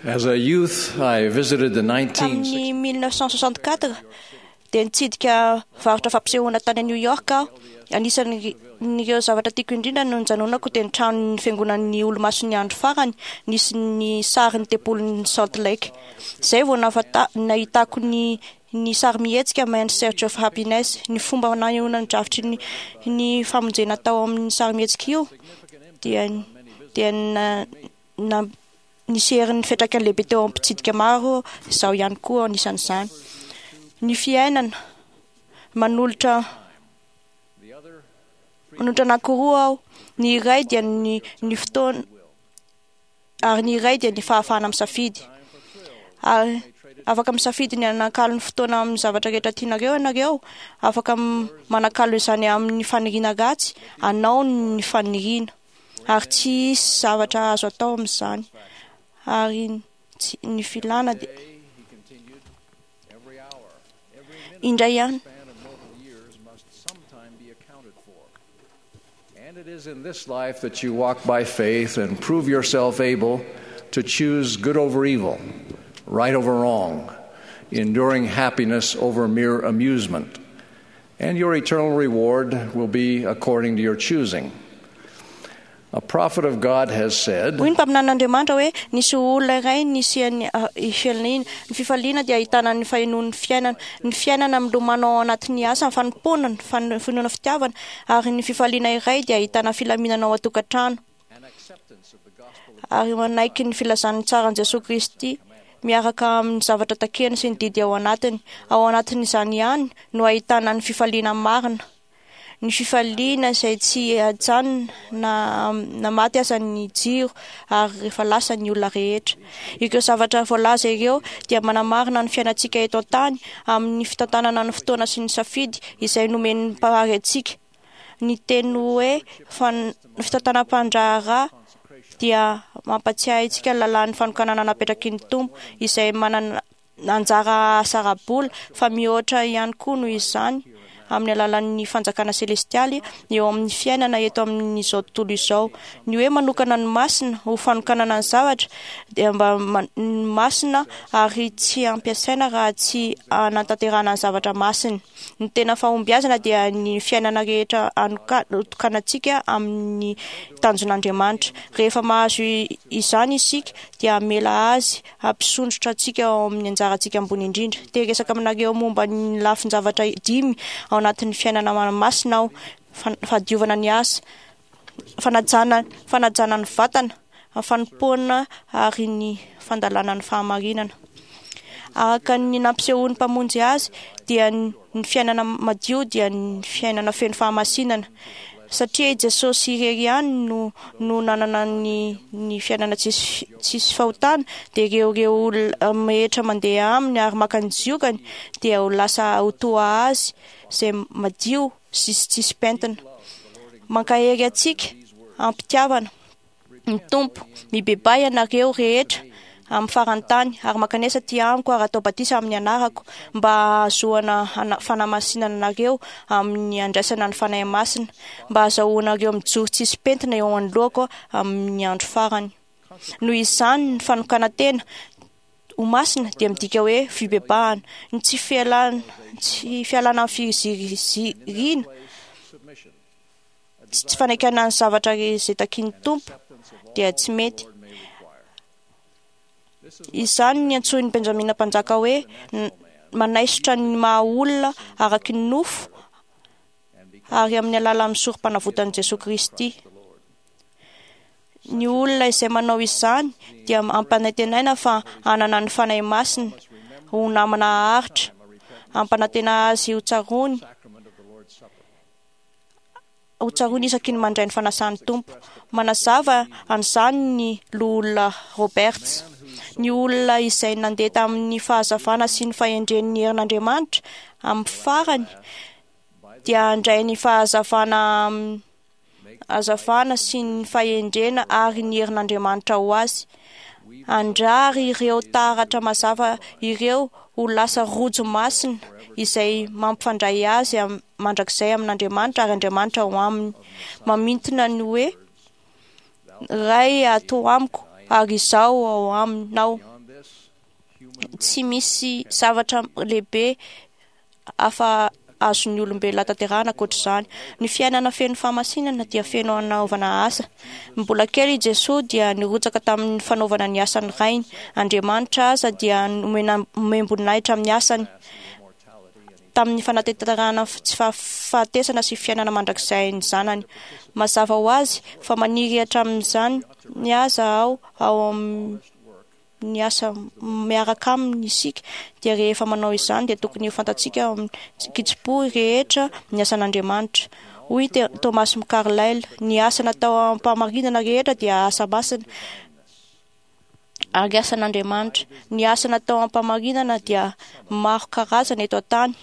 As a youth, I visited the Tamin'ny 1960 1964 dia nitsidika varotra fampisehoana tany New York aho. Anisan'ireo zavatra tiako indrindra no nijanonako dia ny tranon'ny fiangonan'ny Olomasin'ny Andro Farany nisy ny sarin'ny tempolin'ny Salt Lake. Izay vao nahafanta- nahitako ny ny sarimihetsika Man's Search of Happiness, ny fomba nanehoana ny drafitry ny, ny famonjena tao amin'ny sarimihetsika io dia dia na, na, nisy herin'ny fiantraikany lehibe teo amin'ny mpitsidika maro, izaho ihany koa anisan'izany. Ny fiainana manolotra manolotra anankiroa aho. Ny iray dia ny ny fotoana ary ny iray dia ny fahafahana misafidy. Ary afaka misafidy ny hanakalo ny fotoana amin'ny zavatra rehetra tianareo ianareo, afaka manakalo izany amin'ny faniriana ratsy anao ny faniriana. Ary tsy hisy zavatra azo atao amin'izany. Ary tsy, ny filana dia Every hour, every minute indray ihany. span of mortal years must sometime be accounted for. And it is in this life that you walk by faith and prove yourself able to choose good over evil, right over wrong, enduring happiness over mere amusement. And your eternal reward will be according to your choosing. A prophet of God has said, Hoy ny mpaminanin'Andriamanitra hoe nisy olona iray nisian'ny ah, fifaliana. Ny fifaliana dia ahitana ny fahenoan'ny fiainana. Ny fiainana milomano ao anatin'ny asa, ny fanompoana, ny fan- finoana fitiavana ary ny fifaliana iray dia ahitana filaminana ao an-tokantrano. and acceptance of the gospel of Ary manaiky ny filazan'ny tsaran'i Jesoa Kristy miaraka amin'ny zavatra takiany sy ny didy ao anatiny. Ao anatin'izany ihany no ahitana ny fifaliana marina. Ny fifaliana izay tsy ajanona na, na maty aza ny jiro ary rehefa lasa ny olona rehetra. Ireo zavatra voalaza ireo dia manamarina ny fiainantsika eto an-tany amin'ny fitantanana ny fotoana sy ny safidy izay nomen'ny Mpahary antsika. Ny teny hoe fan- fitantanam-pandraharaha dia mampatsiahy antsika ny lalàn'ny fanokanana napetraky ny Tompo izay manana anjara asa ara-bola fa mihoatra ihany koa noho izany amin'ny alalan'ny fanjakana selestialy eo amin'ny fiainana eto amin'izao tontolo izao. Ny hoe manokana ny masina ho fanokanana ny zavatra dia mba ma- ny masina ary tsy ampiasaina raha tsy anatanterahana ny zavatra masina. Ny tena fahombiazana dia ny fiainana rehetra anoka- tokanantsika amin'ny tanjon'Andriamanitra. Rehefa mahazo i- izany isika dia hamela azy hampisondrotra antsika ao amin'ny anjarantsika ambony indrindra. Te hiresaka aminareo momba ny lafin-javatra dimy ao anatin'ny fiainana masina aho. Fan- Fahadiovana ny asa, fanajana, fanajana ny vatana, fanompoana ary ny fandalana ny fahamarinana. Araka ny nampisehoan'ny Mpamonjy azy dia ny ny fiainana madio dia ny fiainana feno fahamasinana. Satria i Jesosy irery ihany no no nanana ny ny fiainana tsisy tsisy fahotana dia ireo ireo olona rehetra mandeha aminy ary maka ny ziokany dia ho lasa ho toa azy izay madio sy tsisy pentina. Mankahery antsika am-pitiavana ny Tompo, mibebaha ianareo rehetra amin'ny faran'ny tany ary mankanesa aty amiko ary atao batisa amin'ny anarako mba hahazoana ana- fanamasinana anareo amin'ny andraisana ny Fanahy Masina mba hahazahoanareo mijoro tsisy pentina eo anoloako amin'ny andro farany. Noho izany ny fanokanan-tena ho masina dia midika hoe fibebahana, ny tsy fialana tsy fialana amin'ny fiziriziriana, submission, tsy tsy fanaikana ny zavatra izay takian'ny Tompo dia tsy mety. Lord may require. Izany ny antsoin'i Benjamina mpanjaka hoe n- manaisotra ny maha olona araky ny nofo ary amin'ny alalan'ny sorom-panavotan'i Jesoa Kristy. The Lord. Ny olona izay manao izany dia ampanantenaina fa hanana ny Fanahy Masina ho namana haharitra, ampanantena azy ho tsaroany Sacrament of the Lord's Supper. ho tsaroany isaky ny mandray ny fanasan'ny Tompo. Manazava an'izany ny loholona Roberts. Ny olona izay nandeha tamin'ny fahazavana sy ny fahendren'ny herin'Andriamanitra amin'ny farany dia handray ny fahazavana am- hazavana sy ny fahendrena ary ny herin'Andriamanitra ho azy. Handrary ireo taratra mazava ireo ho lasa rojo masina izay mampifandray azy am- mandrakizay amin'Andriamanitra ary Andriamanitra ho aminy. Mamintina ny hoe Ray ato amiko ary izaho ao aminao. Tsy misy zavatra lehibe hafa azon'ny olombelona tanterahana ankoatr'izany. Ny fiainana feno fahamasinana dia feno anaovana asa. Mbola kely i Jesoa dia nirotsaka tamin'ny fanaovana ny asan'ny Rainy. Andriamanitra aza dia nomem-boninahitra amin'ny asany tamin'ny fanatanterahana tsy fahafatesana sy fiainana mandrakizay ny zanany. Mazava ho azy fa maniry hatramin'izany ny aza aho ao amin'ny asa miaraka aminy isika, dia rehefa manao izany dia tokony ho fantatsika ao amin'ny kitsim-po rehetra ny asan'Andriamanitra. Hoy Thomas Carlyle, ny asa natao am-pahamarinana rehetra dia asa masina ary asan'Andriamanitra. Ny asa natao am-pahamarinana dia maro karazana eto an-tany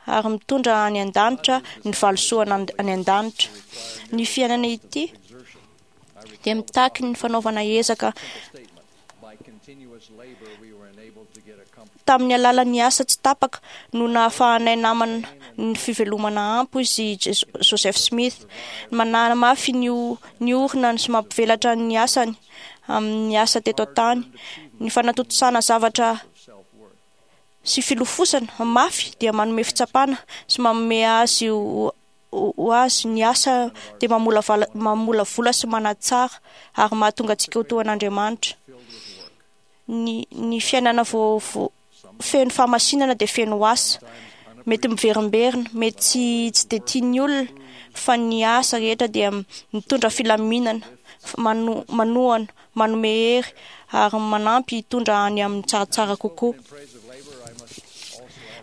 ary mitondra any an-danitra ny valisoa any an-danitra. Ny fiainana ity dia mitaky ny fanaovana ezaka tamin'ny alalan'ny asa tsy tapaka no nahafahanay namana ny fivelomana ampy izy Joseph Smith. Manamafy ny ny orina sy mampivelatra ny asany amin'ny asa teto an-tany. Ny fanatontosana zavatra sy filofosana mafy dia manome fitsapana sy manome azy ho azy ny asa dia mamolavola sy manatsara ary mahatonga antsika ho toa an'Andriamanitra. Ny fiainana feno fahamasinana dia feno asa. Mety miverimberina, mety tsy dia tian'ny olona, fa ny asa rehetra dia mitondra filaminana, manohana, manome hery ary manampy hitondra any amin'ny tsaratsara kokoa.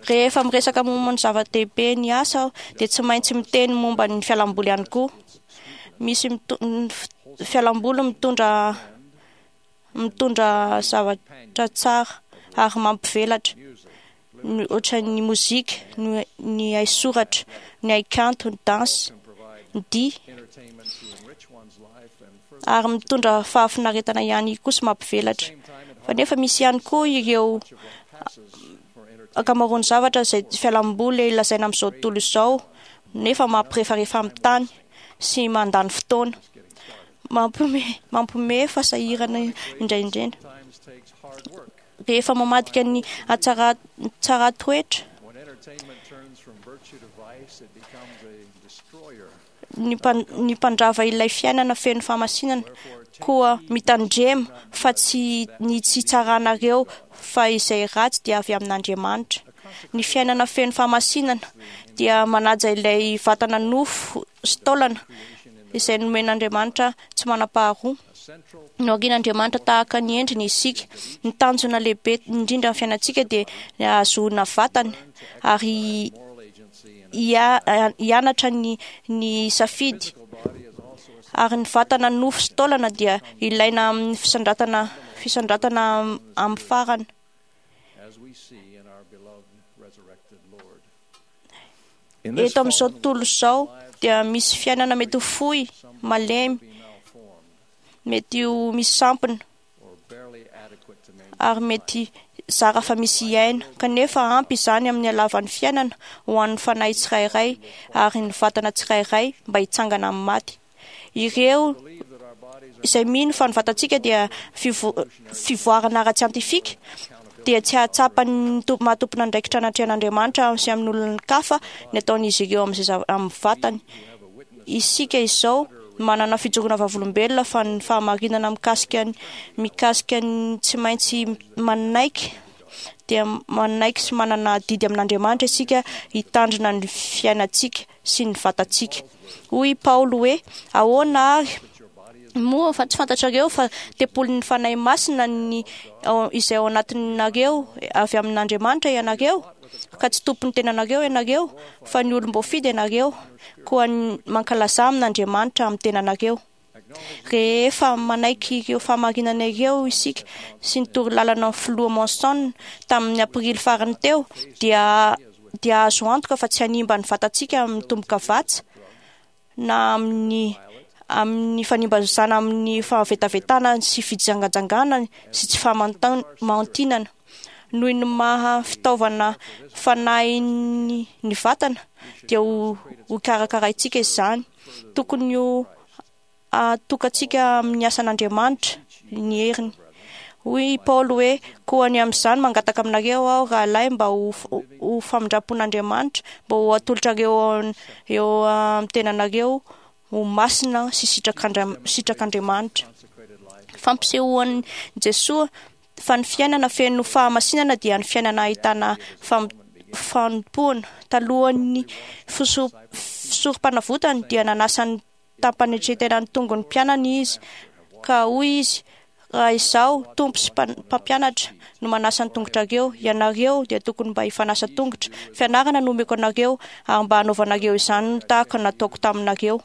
Rehefa miresaka momba ny zava-dehibe ny asa aho dia tsy maintsy miteny momba ny fialamboly ihany koa. Misy fialamboly mitondra mitondra zavatra tsara ary mampivelatra, ohatran'ny mozika, ny haisoratra, ny haikanto, ny dansy, ny dihy, ary mitondra fahafinaretana ihany koa sy mampivelatra. Fa nefa misy ihany koa ireo ankamaroan'ny zavatra izay fialamboly lazaina amin'izao tontolo izao nefa mampirefarefa amin'ny tany sy mandany fotoana. Mampiomehy fa sahirana indraindrindra. Rehefa mamadika ny hatsaran-toetra ny mpandrava ilay fiainana feno fahamasinana, koa mitandrema fa tsy ny tsy tsaranareo fa izay ratsy dia avy amin'Andriamanitra. Ny fiainana feno fahamasinana dia manaja ilay vatana nofo sy taolana izay nomen'Andriamanitra tsy manam-paharoa. Noharian'Andriamanitra tahaka ny endriny isika. Ny tanjona lehibe indrindra amin'ny fiainantsika dia ny hahazoana vatana ary hianatra ny safidy. Ary ny vatana nofo sy taolana dia ilaina amin'ny fisandratana amin'ny farany. Eto amin'izao tontolo izao dia misy fiainana mety ho fohy, malemy, mety ho misy sampona ary mety zara fa misy hiaina, kanefa ampy izany amin'ny halavan'ny fiainana ho an'ny fanahy tsirairay ary ny vatana tsirairay mba hitsangana amin'ny maty. Ireo izay mino fa ny vatantsika dia fivoarana ara-tsiantifika dia tsy hahatsapa ny maha tompon'andraikitra anatrehan'Andriamanitra sy amin'ny olon-kafa ny ataon'izy ireo amin'ny vatany. Isika izao manana fijoroana vavolombelona fa ny fahamarinana mikasika ny tsy maintsy manaiky dia manaiky sy manana adidy amin'Andriamanitra isika hitandrina ny fiainantsika sy ny vatantsika. Hoy i Paoly hoe, ahoana ary moa fa tsy fantatrareo fa tempolin'ny Fanahy Masina ny izay ao anatinareo avy amin'Andriamanitra ianareo, ka tsy tompon'ny tenanareo ianareo fa ny olom-boafidy ianareo, koa mankalaza amin'Andriamanitra amin'ny tenanareo. Rehefa manaiky ireo fahamarinana ireo isika sy ny torolalana ny filoha Monson tamin'ny aprily farany teo, dia azo antoka fa tsy hanimba ny vatantsika amin'ny tombokavatsa na amin'ny fanimbazana amin'ny fahavetavetana sy fijangajangana sy tsy fahamaontinana. Noho ny maha fitaovana fanahin'ny ny vatana dia ho karakaraintsika izany. Tokony ho atokantsika amin'ny asan'Andriamanitra ny heriny. Hoy i Paoly hoe, koa ny amin'izany mangataka aminareo aho rahalahy mba ho famindram-pon'Andriamanitra, mba ho atolotrareo eo amin'ny tenanareo ho masina sy sitrak'Andriamanitra. Fampisehoan'i Jesoa fa ny fiainana feno fahamasinana dia ny fiainana ahitana fanompoana. Talohan'ny fisorom-panavotany dia nanasa ny tampanetren-tena ny tongony mpianany izy, ka hoy izy, raha izaho, Tompo sy mpampianatra, no manasa ny tongotrareo, ianareo dia tokony mba hifanasa tongotra. Fianarana no omeko anareo, ary mba hanaovanareo izany no tahaka nataoko taminareo.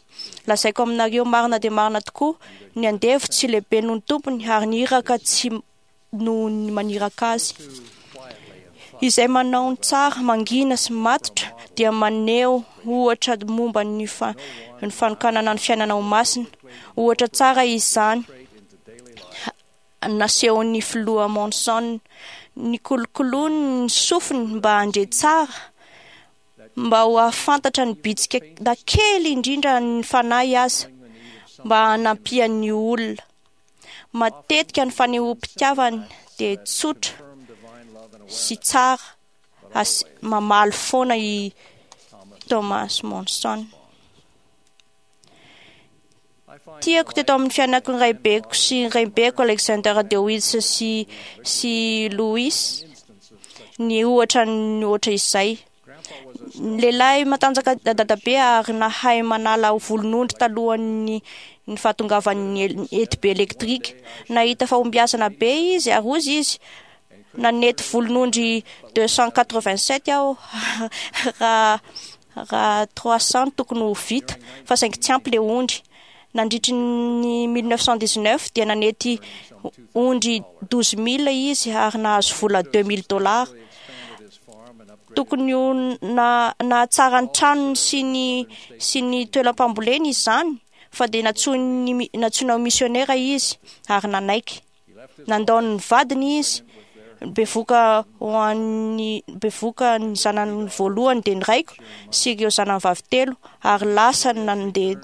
Lazaiko aminareo marina dia marina tokoa, ny andevo tsy lehibe noho ny tompony, ary ny iraka tsy noho ny maniraka azy. Izay manao ny tsara, mangina sy matotra dia maneho ohatra momba ny fanokanana ny fiainana ho masina. Ohatra tsara izany nasehon'ny filoha Monson. Nikolokoloany ny sofiny mba handre tsara, mba ho ahafantatra ny bitsika na kely indrindra ny fanahy aza, mba hanampiany olona. Matetika ny fanehoam-pitiavany dia tsotra sy tsara, mamaly foana i Thomas Monson. Tiako teto amin'ny fiainako ny raibeko sy ny raibeko Alexander DeWitt sy Louis ny ohatra ny ohatra izay. Ny lehilahy matanjaka dadabe ary nahay manala volon'ondry talohan'ny ny fahatongavan'ny etibe elektrika. Nahita fahombiazana be izy ary hozy izy, nanety volon'ondry 287 aho raha raha 300 tokony ho vita, fa saingy tsy ampy le ondry. Nandritry ny 1919 dia nanety ondry 12 000 izy ary nahazo vola 2000 dollars. Tokony ho nahatsara ny tranony sy ny sy ny toeram-pamboleny izany, fa dia nantsoina ho misionera izy ary nanaiky. Nandao ny vadiny izy, bevoka ho an'ny bevoka ny zanany voalohany dia ny raiko sy ireo zanany vavy telo, ary lasa nandeha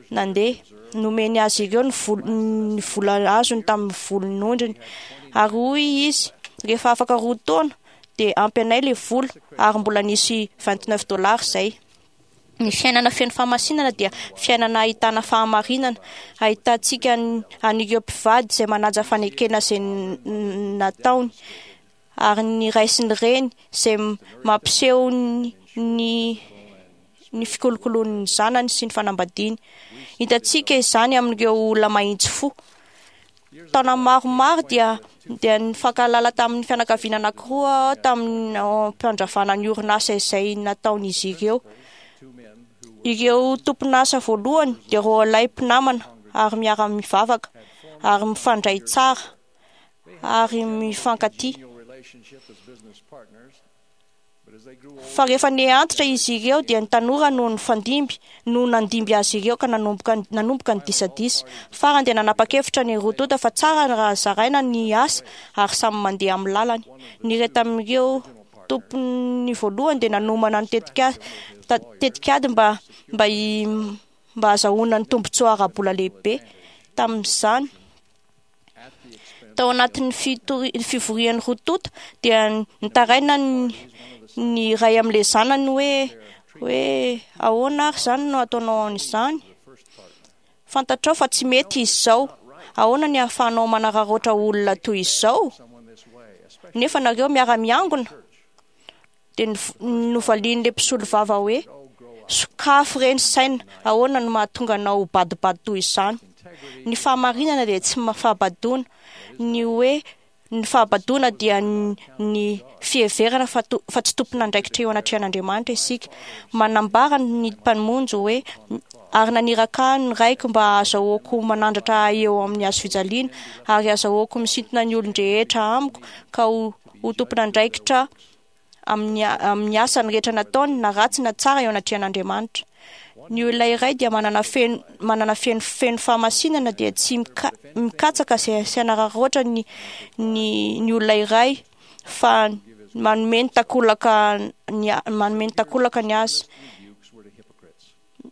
nandeha. Nomeny azy ireo ny ny vola azony tamin'ny volon'ondriny. Ary hoy izy, rehefa afaka 2 taona dia ampy anay ilay vola, ary mbola nisy 29 dollars izay. Ny fiainana feno fahamasinana dia fiainana ahitana fahamarinana, ahitantsika an'ireo mpivady izay manaja fanekena izay nataony, ary ny ray sy ny reny izay mampiseho ny ny fikolokoloany ny zanany sy ny fanambadiany. Hitantsika izany amin'ireo olona mahitsy fo. Taona maromaro dia dia nifankahalala tamin'ny fianakaviana anankiroa aho tamin'ny fampandravana ny orinasa izay nataon'izy ireo. Ireo tompon'asa voalohany dia roalahy mpinamana ary miara-mivavaka ary mifandray tsara ary mifankatia. Fa rehefa niha-antitra izy ireo dia ny tanora no nifandimby no nandimby azy ireo ka nanomboka nanomboka ny disadisa. Farany dia nanapa-kevitra ny roa tonta fa tsara raha zaraina ny asa ary samy mandeha amin'ny lalany. Ny iray tamin'ireo tompon'ny voalohany dia nanomana ny tetika tetikady mba mba mba hahazahoana ny tombontsoa ara-bola lehibe tamin'izany. Tao anatin'ny fivorian'ny roa tonta dia nitaraina ny iray amin'ilay zanany hoe hoe ahoana ary izany no ataonao an'izany? Fantatrao fa tsy mety izy izao. Ahoana ny ahafahanao manararaotra olona toy izao? Nefa nareo miara-miangona. Dia novalian'ilay mpisolovava hoe, Sokafy re ny saina, ahoana no mahatonga anao ho badobado toy izany? Ny fahamarinana dia tsy fahabadoana. Ny hoe ny fahabadoana dia ny fiheverana fa fa tsy tompon'andraikitra eo anatrehan'Andriamanitra isika. Manambara ny Mpamonjy hoe, Ary naniraka ahy ny Raiko mba hahazahoako manandratra ahy eo amin'ny hazofijaliana, ary hahazahoako misintona ny olon-drehetra amiko ka ho ho tompon'andraikitra amin'ny amin'ny asany rehetra nataony, na ratsy na tsara eo anatrehan'Andriamanitra. Ny olona iray dia manana feno manana feno feno fahamasinana dia tsy mikatsaka sy sy hanararaotra ny ny ny olona iray fa manome ny takolaka ny manome ny takolaka ny azy.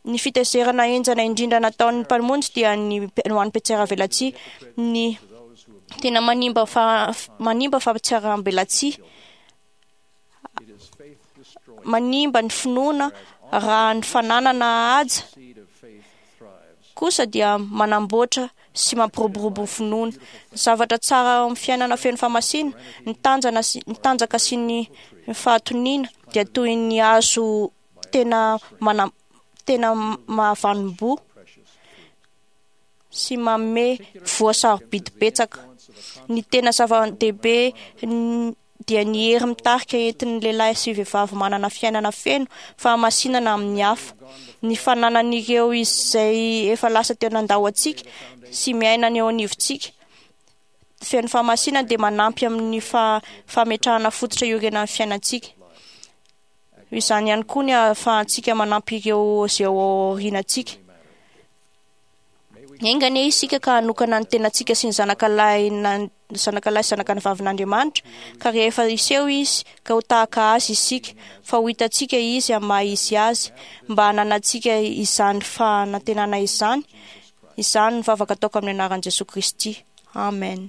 Ny fitezerana henjana indrindra nataon'ny Mpamonjy dia ny ho an'ny mpihatsaravelatsihy. Ny. Tena manimba fa manimba fampitsarambelatsihy, It is faith destroying. manimba ny finoana raha ny fananana haja Seed of faith thrives. kosa dia manamboatra sy mampiroborobo ny finoana. Ny zavatra tsara ao amin'ny fiainana feno fahamasina, ny tanjana sy ny tanjaka sy ny fahatoniana dia toy ny hazo tena mana tena mahavanom-boa Precious fruit. sy manome voa sarobidy betsaka. Ny tena zava-dehibe n- dia ny hery mitarika entin'ny lehilahy sy vehivavy manana fiainana feno fahamasinana amin'ny hafa. Ny fananan'ireo izay efa lasa teo nandao antsika sy miaina ny eo anivontsika. Feno fahamasinana dia manampy amin'ny fa- fametrahana fototra iorenan'ny fiainantsika. Izany ihany koa ny ahafahantsika manampy ireo izay ao aorianantsika. Enga anie isika ka hanokana ny tenantsika sy ny zanakalahy na- zanakalahy sy zanakavavin'Andriamanitra, ka rehefa hiseho izy ka ho tahaka azy isika, fa ho hitantsika izy amin'ny maha izy azy, mba hananantsika izany fanantenana izany. Izany ny vavaka ataoko amin'ny anaran'i Jesoa Kristy. Amen.